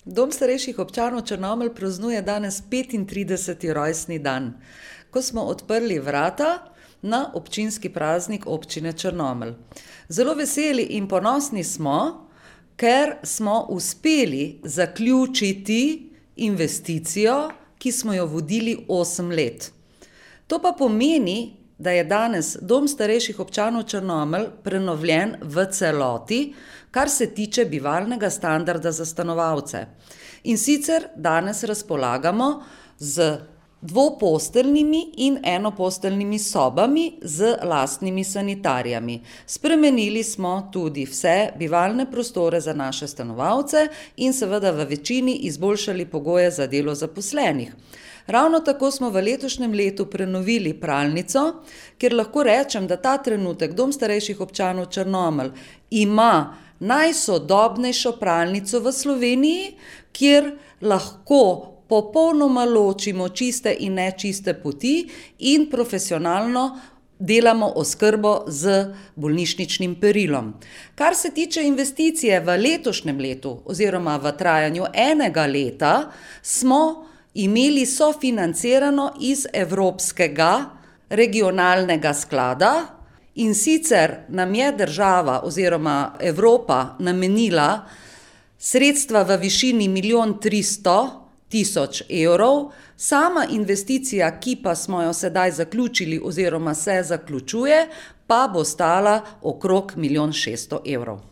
Dom starejših občanov Črnomelj praznuje danes 35. rojstni dan, ko smo odprli vrata na občinski praznik občine Črnomelj. Zelo veseli in ponosni smo, ker smo uspeli zaključiti investicijo, ki smo jo vodili 8 let. To pa pomeni, da je danes Dom starejših občanov Črnomelj prenovljen v celoti, kar se tiče bivalnega standarda za stanovalce. In sicer danes razpolagamo z dvoposteljnimi in enoposteljnimi sobami z lastnimi sanitarijami. Spremenili smo tudi vse bivalne prostore za naše stanovalce in seveda v večini izboljšali pogoje za delo zaposlenih. Ravno tako smo v letošnjem letu prenovili pralnico, kjer lahko rečem, da ta trenutek Dom starejših občanov Črnomelj ima najsodobnejšo pralnico v Sloveniji, kjer lahko popolnoma ločimo čiste in nečiste poti in profesionalno delamo oskrbo z bolnišničnim perilom. Kar se tiče investicije v letošnjem letu oziroma v trajanju enega leta, smo imeli sofinancirano iz Evropskega regionalnega sklada, in sicer nam je država oziroma Evropa namenila sredstva v višini 1.300.000 evrov, sama investicija, ki pa smo jo sedaj zaključili oziroma se zaključuje, pa bo stala okrog 1.600.000 evrov.